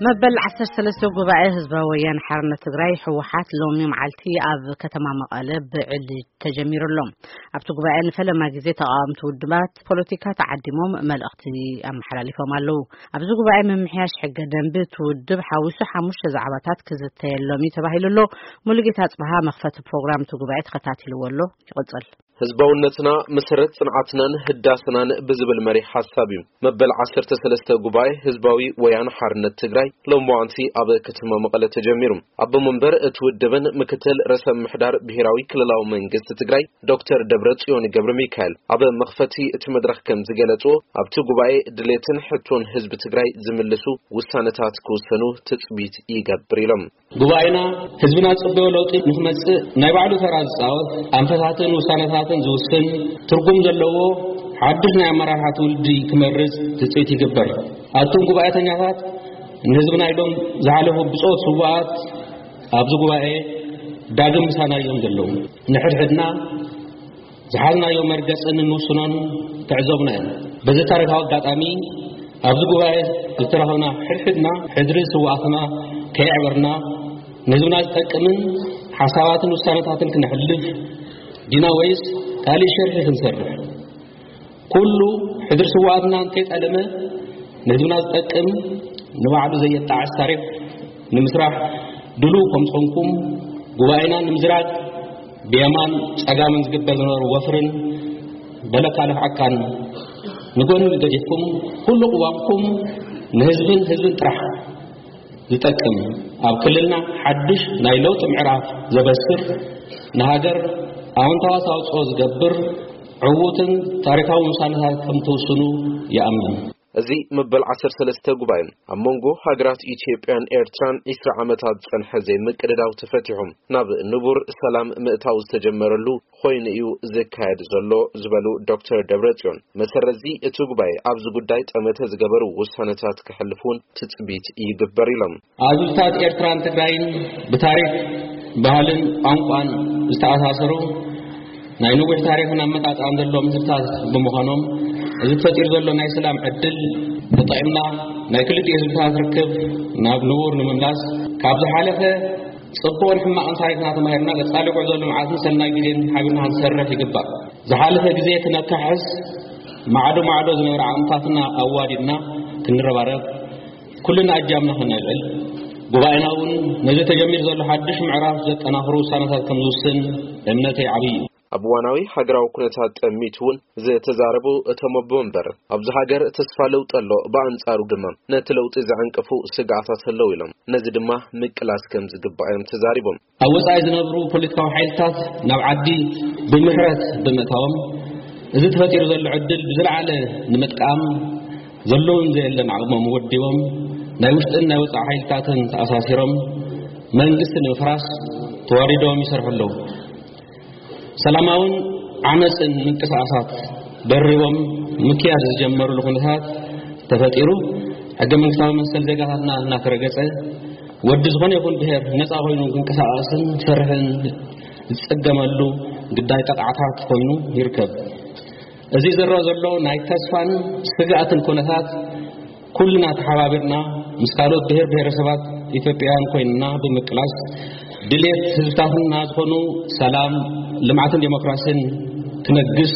መበል ዓሰርተ ሰለስተ ጉባኤ ህዝባዊ ወያነ ሓርነት ትግራይ፣ ህወሓት፣ ሎሚ መዓልቲ ኣብ ከተማ መቐለ ብዕሊ ተጀሚሩ ኣሎ። ኣብቲ ጉባኤ ንፈለማ ግዜ ተቓወምቲ ውድባት ፖለቲካ ተዓዲሞም መልእኽቲ ኣመሓላሊፎም ኣለዉ። ኣብዚ ጉባኤ ምምሕያሽ ሕገ ደንቢ እቲ ውድብ ሓዊሱ ሓሙሽተ ዛዕባታት ክዝተየሎም እዩ ተባሂሉ ኣሎ። ሙሉጌታ ኣጽብሃ መኽፈቲ ፕሮግራም እቲ ጉባኤ ተኸታቲልዎ ኣሎ። ይቕጽል። ህዝባውነትና መሰረት ጽንዓትናን ህዳስናን ብዝብል መሪ ሓሳብ እዩ መበል ዓሰርተ ሰለስተ ጉባኤ ህዝባዊ ወያነ ሓርነት ትግራይ ሎምዋንቲ ኣብ ከተማ መቐለ ተጀሚሩ። ኣቦ መንበር እቲ ውድብን ምክትል ርእሰ ምሕዳር ብሔራዊ ክልላዊ መንግስቲ ትግራይ ዶክተር ደብረጽዮን ገብረ ሚካኤል ኣብ መኽፈቲ እቲ መድረኽ ከም ዝገለጽዎ፣ ኣብቲ ጉባኤ ድሌትን ሕቶን ህዝቢ ትግራይ ዝምልሱ ውሳነታት ክውሰኑ ትጽቢት ይገብር ኢሎም። ጉባኤና ህዝብና ዝጽበዮ ለውጢ ንክመጽእ ናይ ባዕሉ ተራ ዝጻወት፣ ኣንፈታትን ውሳነታትን ዝውስን፣ ትርጉም ዘለዎ ሓድሽ ናይ ኣመራርሓ ትውልዲ ክመርጽ ትጽቢት ይግበር። ኣቱም ጉባኤተኛታት፣ ንህዝብና ኢሎም ዝሓለፉ ብጾት ስውኣት ኣብዚ ጉባኤ ዳግም ምሳና እዮም ዘለዉ። ንሕድሕድና ዝሓዝናዮ መርገጽን እንውስኖን ትዕዘቡና እዮም። በዚ ታሪኻዊ ኣጋጣሚ ኣብዚ ጉባኤ ዝተረኸብና ሕድሕድና ሕድሪ ስውኣትና ከየዕበርና፣ ንህዝብና ዝጠቅምን ሓሳባትን ውሳነታትን ክነሕልፍ ዲና ወይስ ካልእ ሸርሒ ክንሰርሕ? ኩሉ ሕድሪ ስውኣትና እንተይጠለመ ንህዝብና ዝጠቅም ንባዕሉ ዘየጣዕስ ታሪኽ ንምስራሕ ድሉው ከም ዝኾንኩም ጉባኤና ንምዝራግ ብየማን ጸጋምን ዝግበር ዝነበሩ ወፍርን በለካ ልፍዓካን ንጎኒ ገዲፍኩም ኩሉ ቅዋምኩም ንህዝብን ህዝብን ጥራሕ ዝጠቅም ኣብ ክልልና ሓድሽ ናይ ለውጢ ምዕራፍ ዘበስር ንሃገር ኣወንታዊ ኣስተዋጽኦ ዝገብር ዕዉትን ታሪኻዊ ውሳነታት ከም ትውስኑ ይኣምን። እዚ መበል ዓሰርተ ሰለስተ ጉባኤ ኣብ መንጎ ሃገራት ኢትዮጵያን ኤርትራን ዒስራ ዓመታት ዝጸንሐ ዘይምቅድዳው ተፈቲሑ ናብ ንቡር ሰላም ምእታው ዝተጀመረሉ ኮይኑ እዩ ዝካየድ ዘሎ ዝበሉ ዶክተር ደብረጽዮን፣ መሰረት እዚ እቲ ጉባኤ ኣብዚ ጉዳይ ጠመተ ዝገበሩ ውሳነታት ክሕልፍ እውን ትጽቢት ይግበር ኢሎም። ኣብ ህዝብታት ኤርትራን ትግራይን ብታሪኽ፣ ባህልን ቋንቋን ዝተኣሳሰሩ ናይ ነዊሕ ታሪኽን ኣመጻጽኣን ዘለዎም ህዝብታት ብምዃኖም፣ እዚ ተፈጢሩ ዘሎ ናይ ሰላም ዕድል ተጠቒምና ናይ ክልቲኡ ህዝብታት ርክብ ናብ ንቡር ንምምላስ፣ ካብ ዝሓለፈ ጽቡቕን ሕማቕን ታሪኽና ተማሂርና፣ ቀጻሊ ጉዕዞ ልምዓትን ሰናይ ግዜን ሓቢርና ክንሰርሕ ይግባእ። ዝሓለፈ ግዜ ክነካሕስ፣ ማዕዶ ማዕዶ ዝነበረ ዓቕምታትና ኣዋዲድና ክንረባረብ፣ ኩልና ኣጃምና ከነልዕል፣ ጉባኤና እውን ነዚ ተጀሚሩ ዘሎ ሓድሽ ምዕራፍ ዘጠናኽሩ ውሳነታት ከም ዝውስን እምነተይ ዓብዪ እዩ። ኣብ እዋናዊ ሃገራዊ ኩነታት ጠሚቱ እውን ዝተዛረቡ እቶም ኣቦ መንበር፣ ኣብዚ ሃገር ተስፋ ለውጢ ኣሎ፣ ብኣንጻሩ ድማ ነቲ ለውጢ ዘዕንቅፉ ስግኣታት ኣለዉ ኢሎም፣ ነዚ ድማ ምቅላስ ከም ዝግባእ እዮም ተዛሪቦም። ኣብ ወጻኢ ዝነብሩ ፖለቲካዊ ሓይልታት ናብ ዓዲ ብምሕረት ብምእታዎም፣ እዚ ተፈጢሩ ዘሎ ዕድል ብዝለዓለ ንምጥቃም ዘለውን ዘየለን ዓቕሞም ወዲቦም፣ ናይ ውሽጥን ናይ ወጻኢ ሓይልታትን ተኣሳሲሮም መንግስቲ ንምፍራስ ተዋሪዶም ይሰርሑ ኣለዉ። ሰላማውን ዓመፅን ምንቅስቃሳት ደሪቦም ምክያድ ዝጀመሩሉ ኩነታት ተፈጢሩ፣ ሕገ መንግስታዊ መሰል ዜጋታትና እናተረገፀ፣ ወዲ ዝኾነ ይኹን ብሔር ነፃ ኮይኑ ክንቀሳቀስን ክሰርሕን ዝፀገመሉ ግዳይ ጠቕዓታት ኮይኑ ይርከብ። እዚ ዝረኣ ዘሎ ናይ ተስፋን ስግኣትን ኩነታት ኩልና ተሓባቢርና ምስ ካልኦት ብሔር ብሔረሰባት ኢትዮጵያውያን ኮይንና ብምቅላስ፣ ድሌት ህዝብታትና ዝኾኑ ሰላም፣ ልምዓትን ዴሞክራሲን ክነግስ፣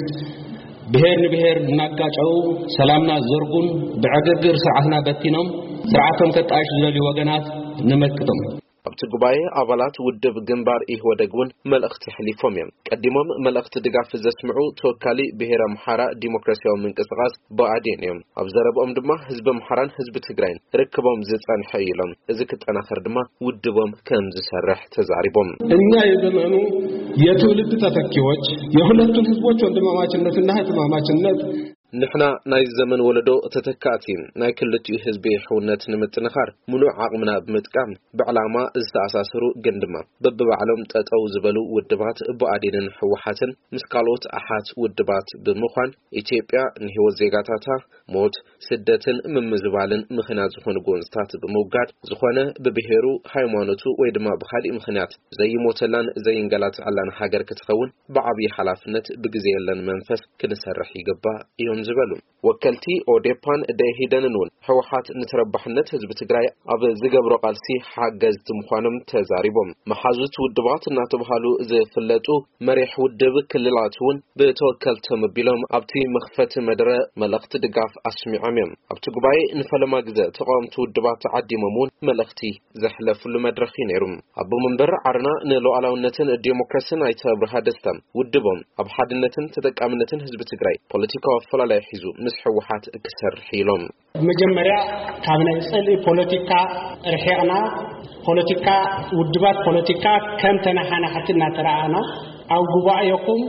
ብሔር ንብሔር እናጋጨው ሰላምና ዘርጉን ብዕግርግር ስርዓትና በቲኖም ስርዓቶም ከጣይሹ ዝደልዩ ወገናት ንመክቶም። ኣብቲ ጉባኤ ኣባላት ውድብ ግንባር ኢህወደግ እውን መልእኽቲ ኣሕሊፎም እዮም። ቀዲሞም መልእኽቲ ድጋፍ ዘስምዑ ተወካሊ ብሔር ኣምሓራ ዲሞክራሲያዊ ምንቅስቃስ ብኣዴን እዮም። ኣብ ዘረብኦም ድማ ህዝቢ ኣምሓራን ህዝቢ ትግራይን ርክቦም ዝጸንሐ እዩ ኢሎም፣ እዚ ክጠናኸር ድማ ውድቦም ከም ዝሰርሕ ተዛሪቦም። እኛ የዘመኑ የትውልድ ተተኪዎች የሁለቱን ህዝቦች ወንድማማችነትና እህትማማችነት ንሕና ናይ ዘመን ወለዶ ተተካእቲ ናይ ክልቲኡ ህዝቢ ሕውነት ንምጥንኻር ምሉእ ዓቕምና ብምጥቃም ብዕላማ ዝተኣሳሰሩ ግን ድማ በብባዕሎም ጠጠው ዝበሉ ውድባት ብኣዴንን ህወሓትን ምስ ካልኦት ኣሓት ውድባት ብምዃን ኢትዮጵያ ንህይወት ዜጋታታ ሞት፣ ስደትን ምምዝባልን ምኽንያት ዝኾኑ ጎንፅታት ብምውጋድ፣ ዝኾነ ብብሄሩ፣ ሃይማኖቱ ወይ ድማ ብኻሊእ ምኽንያት ዘይሞተላን ዘይንገላትዐላን ሃገር ክትኸውን ብዓብዪ ሓላፍነት ብግዜ የለን መንፈስ ክንሰርሕ ይግባእ እዮም ዝበሉ። ወከልቲ ኦዴፓን ደኢህዴንን እውን ህወሓት ንተረባሕነት ህዝቢ ትግራይ ኣብ ዝገብሮ ቃልሲ ሓገዝቲ ምዃኖም ተዛሪቦም። መሓዙት ውድባት እናተባሃሉ ዝፍለጡ መሪሕ ውድብ ክልላት እውን ብተወከልቶም ኣቢሎም ኣብቲ መኽፈቲ መደረ መልእኽቲ ድጋፍ ኣስሚዖም እዮም። ኣብቲ ጉባኤ ንፈለማ ግዜ ተቃወምቲ ውድባት ተዓዲሞም እውን መልእኽቲ ዘሕለፍሉ መድረኽ እዩ ነይሩ። ኣቦ መንበር ዓረና ንሉዓላውነትን ዲሞክራሲን ኣይተ ኣብርሃ ደስታ ውድቦም ኣብ ሓድነትን ተጠቃምነትን ህዝቢ ትግራይ ፖለቲካዊ ኣፈላላይ ሒዙ ምስ ህወሓት ክሰርሕ ኢሎም። መጀመርያ ካብ ናይ ጽልኢ ፖለቲካ ርሒቕና፣ ፖለቲካ፣ ውድባት ፖለቲካ ከም ተነሓናሕቲ እናተረኣና፣ ኣብ ጉባኤኹም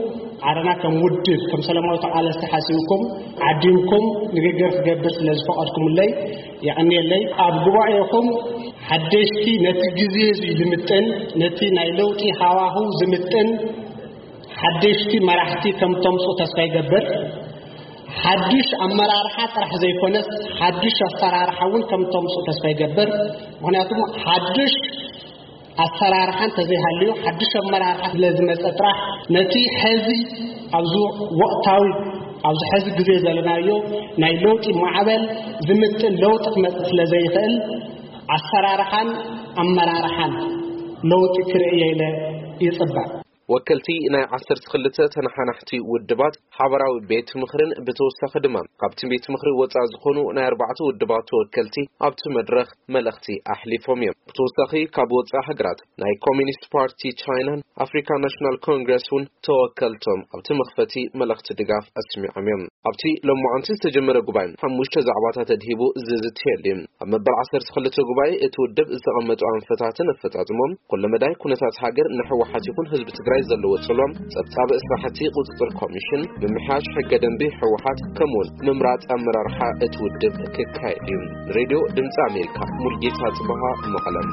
ዓረና ከም ውድብ፣ ከም ሰላማዊ ተቓለስቲ ሓሲብኩም ዓዲምኩም ንግግር ክገብር ስለ ዝፈቐድኩምለይ የቐንየለይ። ኣብ ጉባኤኹም ሓደሽቲ፣ ነቲ ግዜ እዚ ዝምጥን፣ ነቲ ናይ ለውጢ ሃዋህው ዝምጥን ሓደሽቲ መራሕቲ ከም ተምፁ ተስፋ ይገብር። ሓድሽ ኣመራርሓ ጥራሕ ዘይኮነስ ሓድሽ ኣሰራርሓ እውን ከም ተምፁ ተስፋ ይገብር። ምኽንያቱም ሓድሽ ኣሰራርሓ እንተዘይሃልዩ፣ ሓድሽ ኣመራርሓ ስለ ዝመፀ ጥራሕ ነቲ ሕዚ ኣብዚ ወቕታዊ፣ ኣብዚ ሕዚ ግዜ ዘለናዮ ናይ ለውጢ ማዕበል ዝምጥን ለውጢ ክመፅእ ስለ ዘይኽእል፣ ኣሰራርሓን ኣመራርሓን ለውጢ ክርእየ ኢለ ይፅበ። ወከልቲ ናይ ዓሰርተ ክልተ ተነሓናሕቲ ውድባት ሓበራዊ ቤት ምኽርን ብተወሳኺ ድማ ካብቲ ቤት ምኽሪ ወፃኢ ዝኾኑ ናይ ኣርባዕተ ውድባት ተወከልቲ ኣብቲ መድረኽ መልእኽቲ ኣሕሊፎም እዮም። ብተወሳኺ ካብ ወፃኢ ሃገራት ናይ ኮሚኒስት ፓርቲ ቻይናን ኣፍሪካ ናሽናል ኮንግረስ እውን ተወከልቶም ኣብቲ መኽፈቲ መልእኽቲ ድጋፍ ኣስሚዖም እዮም። ኣብቲ ሎማዓንቲ ዝተጀመረ ጉባኤ ሓሙሽተ ዛዕባታት ኣድሂቡ ዝዝትየሉ እዩ። ኣብ መበል ዓሰርተ ክልተ ጉባኤ እቲ ውድብ ዝተቐመጡ ኣንፈታትን ኣፈፃፅሞም፣ ኩለመዳይ ኩነታት ሃገር፣ ንህወሓት ይኹን ህዝቢ ትግራይ ዘለዎ ጽልዋን፣ ጸብጻብ ስራሕቲ ቁጽጽር ኮሚሽን፣ ምምሕያሽ ሕገ ደንቢ ህወሓት፣ ከምኡውን ምምራጽ ኣመራርሓ እቲ ውድብ ክካየድ እዩ። ሬድዮ ድምፂ ኣሜሪካ፣ ሙልጌታ ጽበሃ፣ መቐለም።